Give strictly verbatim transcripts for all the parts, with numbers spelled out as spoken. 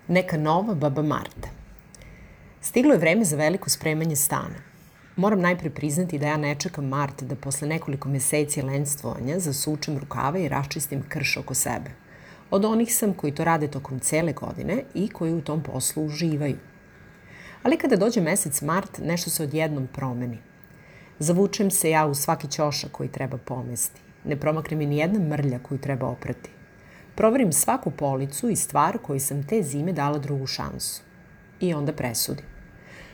Neka nova baba Marta. Stiglo je vreme za veliko spremanje stana. Moram najpre priznati da ja ne čekam Mart da posle nekoliko meseci lenstvovanja zasučem rukave i raščistim krš oko sebe. Od onih sam koji to rade tokom cele godine i koji u tom poslu uživaju. Ali kada dođe mesec Mart, nešto se odjednom promeni. Zavučem se ja u svaki ćošak koji treba pomesti. Ne promakne mi ni jedna mrlja koju treba oprati. Proverim svaku policu i stvar koju sam te zime dala drugu šansu. I onda presudim.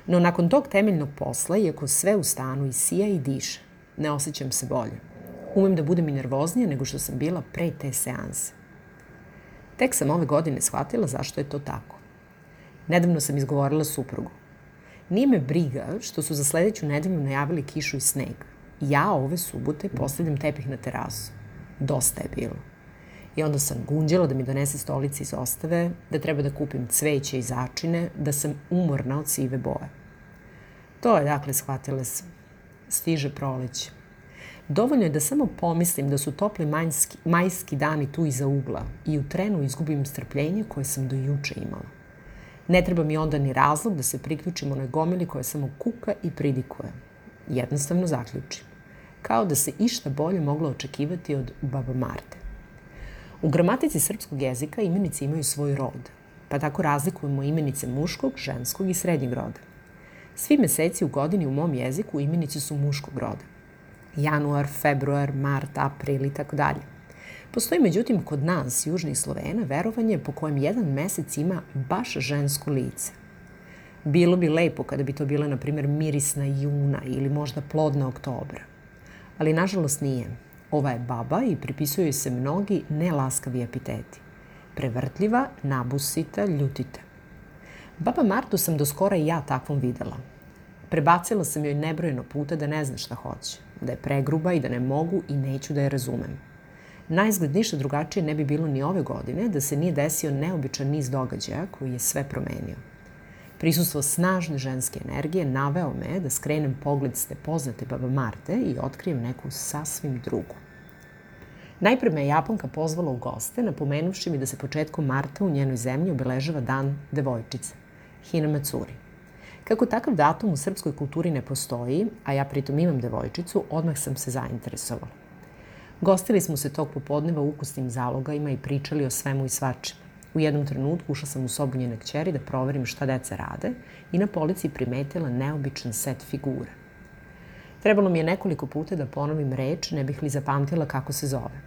No nakon tog temeljnog posla, iako sve u stanu i sija i diše, ne osjećam se bolje. Umem da budem i nervoznija nego što sam bila pre te seanse. Tek sam ove godine shvatila zašto je to tako. Nedavno sam izgovorila suprugu. Nije me briga što su za sledeću nedelju najavili kišu i sneg. Ja ove subote postavljam tepih na terasu. Dosta je bilo. I onda sam gunđala da mi donese stolice iz ostave, da treba da kupim cveće i začine, da sam umorna od sive boje. To je, dakle, shvatila sam. Stiže proleće. Dovoljno je da samo pomislim da su topli majski, majski dani tu iza ugla i u trenu izgubim strpljenje koje sam do juče imala. Ne treba mi onda ni razlog da se priključim onoj gomili koja samo kuka i pridikuje. Jednostavno zaključim. Kao da se išta bolje moglo očekivati od baba Marte. U gramatici srpskog jezika imenice imaju svoj rod, pa tako razlikujemo imenice muškog, ženskog i srednjeg roda. Svi meseci u godini u mom jeziku imenice su muškog roda. Januar, februar, mart, april i tako dalje. Postoji međutim kod nas, južnih Slovena, verovanje po kojem jedan mesec ima baš žensko lice. Bilo bi lepo kada bi to bila, na primjer, mirisna juna ili možda plodna oktobra. Ali nažalost nije. Ova je baba i pripisuju joj se mnogi nelaskavi epiteti. Prevrtljiva, nabusita, ljutita. Baba Martu sam do skora i ja takvom videla. Prebacila sam joj nebrojeno puta da ne zna šta hoće, da je pregruba i da ne mogu i neću da je razumem. Naizgled ništa drugačije ne bi bilo ni ove godine da se nije desio neobičan niz događaja koji je sve promenio. Prisustvo snažne ženske energije naveo me da skrenem pogled s te poznate baba Marte i otkrijem neku sasvim drugu. Najpre me je Japanka pozvala u goste, napomenuvši mi da se početkom marta u njenoj zemlji obeležava dan devojčice, Hinamatsuri. Kako takav datum u srpskoj kulturi ne postoji, a ja pritom imam devojčicu, odmah sam se zainteresovala. Gostili smo se tog popodneva ukusnim zalogajima i pričali o svemu i svačemu. U jednom trenutku ušla sam u sobu njene kćeri da proverim šta deca rade i na polici primetila neobičan set figura. Trebalo mi je nekoliko puta da ponovim reč, ne bih li zapamtila kako se zove.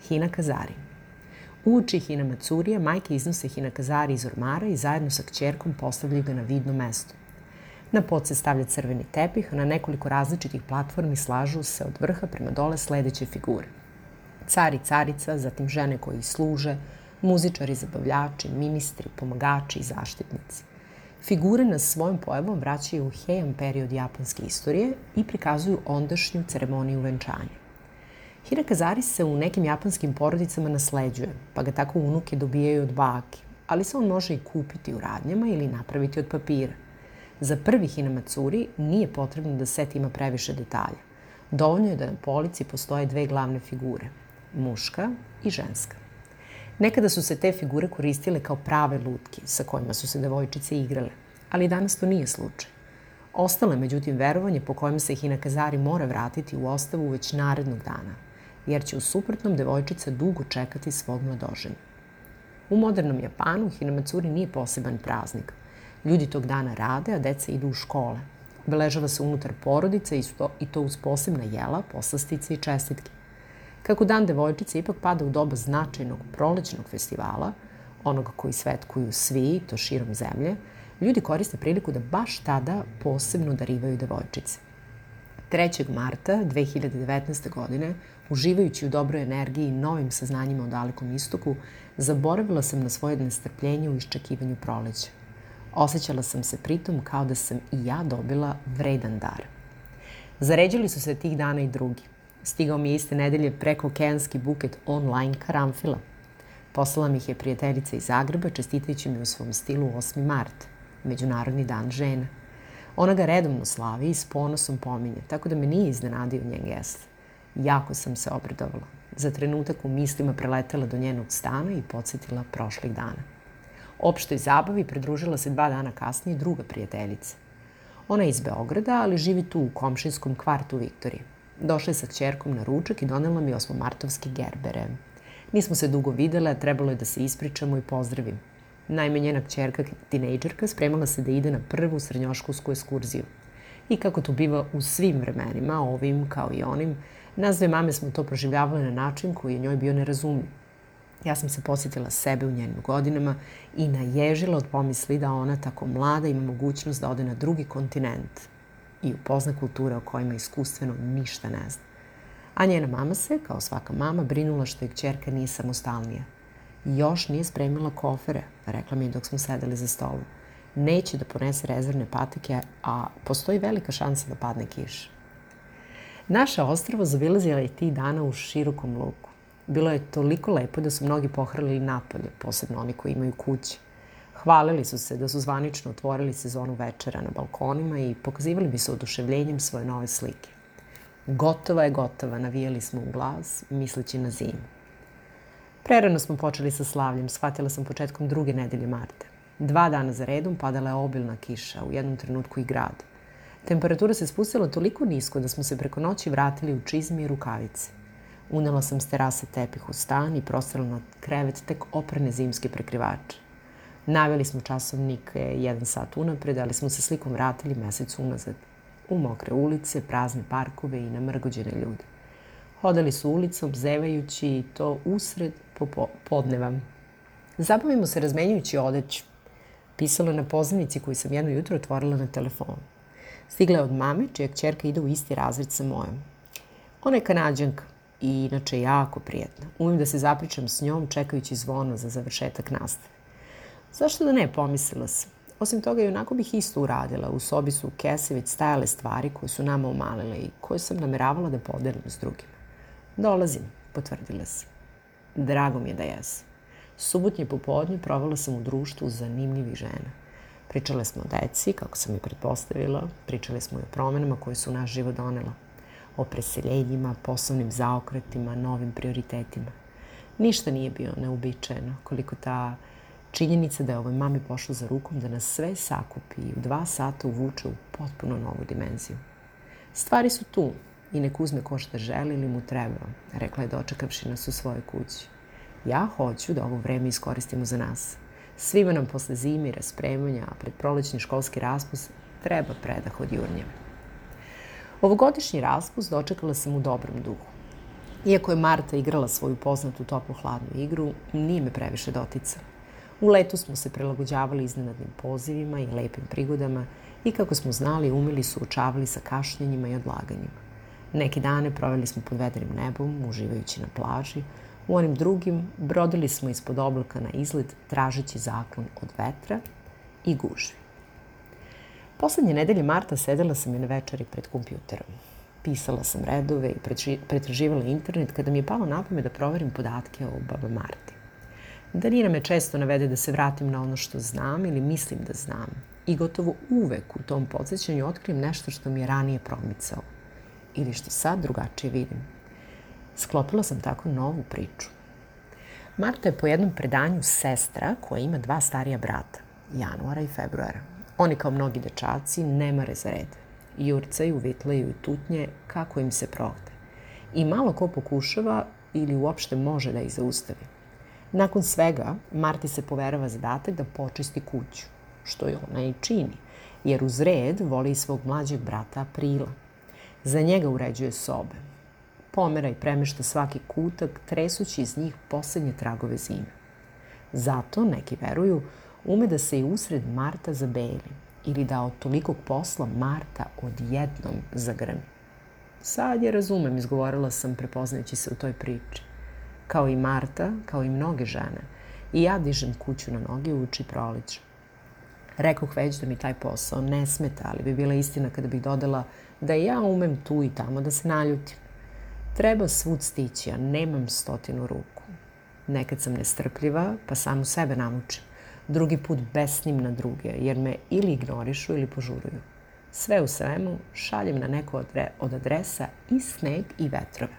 Hinakazari. Uoči Hinamatsurija majke iznose Hinakazari iz ormara i zajedno sa kćerkom postavljaju ga na vidno mesto. Na pod se stavlja crveni tepih, a na nekoliko različitih platformi slažu se od vrha prema dole sledeće figure. Car i carica, zatim žene koje ih služe, muzičari, zabavljači, ministri, pomagači i zaštitnici. Figure nas svojom pojavom vraćaju u Heian period japanske istorije i prikazuju ondašnju ceremoniju venčanja. Hinakazari se u nekim japanskim porodicama nasleđuje, pa ga tako unuke dobijaju od bake, ali se on može i kupiti u radnjama ili napraviti od papira. Za prvi Hinamatsuri nije potrebno da set ima previše detalja. Dovoljno je da na polici postoje dve glavne figure, muška i ženska. Nekada su se te figure koristile kao prave lutke sa kojima su se devojčice igrale, ali danas to nije slučaj. Ostalo je međutim verovanje po kojem se Hinakazari mora vratiti u ostavu već narednog dana, jer će u suprotnom devojčica dugo čekati svog mladoženja. U modernom Japanu Hinamatsuri nije poseban praznik. Ljudi tog dana rade, a deca idu u škole. Obeležava se unutar porodice i to uz posebna jela, poslastice i čestitke. Kako dan devojčice ipak pada u doba značajnog prolećnog festivala, onog koji svetkuju svi, to širom zemlje, ljudi koriste priliku da baš tada posebno darivaju devojčice. trećeg marta dve hiljade devetnaeste. godine, uživajući u dobroj energiji i novim saznanjima o dalekom istoku, zaboravila sam na svoje nestrpljenje u iščekivanju proleća. Osjećala sam se pritom kao da sam i ja dobila vredan dar. Zaređali su se tih dana i drugi. Stigao mi je iste nedelje prekookeanski buket online karanfila. Poslala mi ih je prijateljica iz Zagreba, čestitajući mi u svom stilu osmi mart, Međunarodni dan žena. Ona ga redovno slavi i s ponosom pominje, tako da me nije iznenadio njen gest. Jako sam se obradovala. Za trenutak u mislima preletela do njenog stana i podsjetila prošlih dana. Opštoj zabavi pridružila se dva dana kasnije druga prijateljica. Ona je iz Beograda, ali živi tu u komšinskom kvartu Viktorije. Došla je sa kćerkom na ručak i donela mi osmomartovske gerbere. Nismo se dugo videle, a trebalo je da se ispričamo i pozdravim. Naime, njena kćerka, tinejdžerka, spremala se da ide na prvu srednjoškolsku ekskurziju. I kako to biva u svim vremenima, ovim kao i onim, nas dve mame smo to proživljavale na način koji je njoj bio nerazumljiv. Ja sam se posjetila sebe u njenim godinama i naježila od pomisli da ona tako mlada ima mogućnost da ode na drugi kontinent i upozna kulture o kojima iskustveno ništa ne zna. A njena mama se, kao svaka mama, brinula što je kćerka nije samostalnija. Još nije spremila kofere, rekla mi je dok smo sedeli za stolom. Neće da ponese rezervne patike, a postoji velika šansa da padne kiša. Naše ostrvo zaobilazila je tih dana u širokom luku. Bilo je toliko lepo da su mnogi pohrlili napolje, posebno oni koji imaju kuće. Hvalili su se da su zvanično otvorili sezonu večera na balkonima i pokazivali bi se oduševljenjem svoje nove slike. Gotova je gotova, navijali smo u glas, misleći na zimu. Prerano smo počeli sa slavljem, shvatila sam početkom druge nedelje marta. Dva dana za redom padala je obilna kiša, u jednom trenutku i grad. Temperatura se spustila toliko nisko da smo se preko noći vratili u čizme i rukavice. Unela sam s terase tepih u stan i prostrala na krevet tek oprane zimske prekrivače. Naveli smo časovnik jedan sat unapred, ali smo se slikom vratili mesec unazad. U mokre ulice, prazne parkove i namrgođene ljude. Hodali su ulicom, zevajući i to usred podneva. Zabavimo se razmenjujući odeću. Pisalo je na pozivnici koju sam jedno jutro otvorila na telefonu. Stigla je od mame, čija kćerka ide u isti razred sa mojom. Ona je Kanađanka i inače jako prijetna. Umem da se zapričam s njom čekajući zvono za završetak nastave. Zašto da ne, pomislila sam. Osim toga, i onako bih isto uradila. U sobi su u kese već stajale stvari koje su nama umalile i koje sam nameravala da podelim s drugima. Dolazim, potvrdila sam. Drago mi je da jesam. Subotnje popodnje provela sam u društvu zanimljivih žena. Pričale smo o deci, kako sam i pretpostavila. Pričali smo i o promenama koje su u naš život donela. O preseljenjima, poslovnim zaokretima, novim prioritetima. Ništa nije bio neuobičajeno, koliko ta činjenica da je ovoj mami pošla za rukom da nas sve sakupi i u dva sata uvuče u potpuno novu dimenziju. Stvari su tu i nek uzme ko šta želi ili mu treba, rekla je dočekavši nas u svojoj kući. Ja hoću da ovo vreme iskoristimo za nas. Svima nam posle zime i raspremanja, a pred prolećni školski raspust treba predah od jurnjeva. Ovogodišnji raspust dočekala sam u dobrom duhu. Iako je Marta igrala svoju poznatu toplo-hladnu igru, nije me previše doticala. U letu smo se prilagođavali iznenadnim pozivima i lepim prigodama i kako smo znali, umeli suočavali sa kašnjenjima i odlaganjima. Neki dane proveli smo pod vedrim nebom, uživajući na plaži. U onim drugim brodili smo ispod oblaka na izlet, tražeći zaklon od vetra i gužvi. Poslednje nedelje marta sedela sam i na večeri pred kompjuterom. Pisala sam redove i pretraživala internet kada mi je palo na pamet da proverim podatke o baba Marti. Danina me često navede da se vratim na ono što znam ili mislim da znam i gotovo uvek u tom podsjećanju otkrijem nešto što mi je ranije promicao ili što sad drugačije vidim. Sklopila sam tako novu priču. Marta je po jednom predanju sestra koja ima dva starija brata, januara i februara. Oni kao mnogi dečaci ne mare za red. Jurcaju, vitlaju i tutnje kako im se prohte. I malo ko pokušava ili uopšte može da ih zaustavi. Nakon svega, Marti se poverava zadatak da počisti kuću, što je ona i čini, jer uz red voli i svog mlađeg brata Aprila. Za njega uređuje sobe. Pomera i premešta svaki kutak, tresući iz njih poslednje tragove zime. Zato, neki veruju, ume da se i usred marta zabeli ili da od tolikog posla Marta odjednom zagrmi. Sad je razumem, izgovorila sam prepoznajući se u toj priči. Kao i Marta, kao i mnoge žene, i ja dižem kuću na noge uoči proleća. Rekoh već da mi taj posao ne smeta, ali bi bila istina kada bih dodala da ja umem tu i tamo da se naljutim. Treba svud stići, a nemam stotinu ruku. Nekad sam nestrpljiva, pa samu sebe namučim. Drugi put besnim na druge, jer me ili ignorišu ili požuruju. Sve u svemu šaljem na neko od adresa i sneg i vetrove.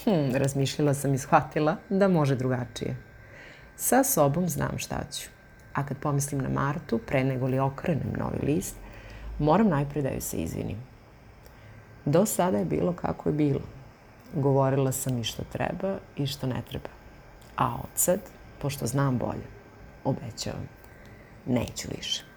Hm, razmišljala sam i shvatila da može drugačije. Sa sobom znam šta ću. a kad pomislim na Martu, pre nego li okrenem novi list, moram najpre da joj se izvinim. Do sada je bilo kako je bilo. Govorila sam i što treba i što ne treba. A od sad, pošto znam bolje, obećavam, neću više.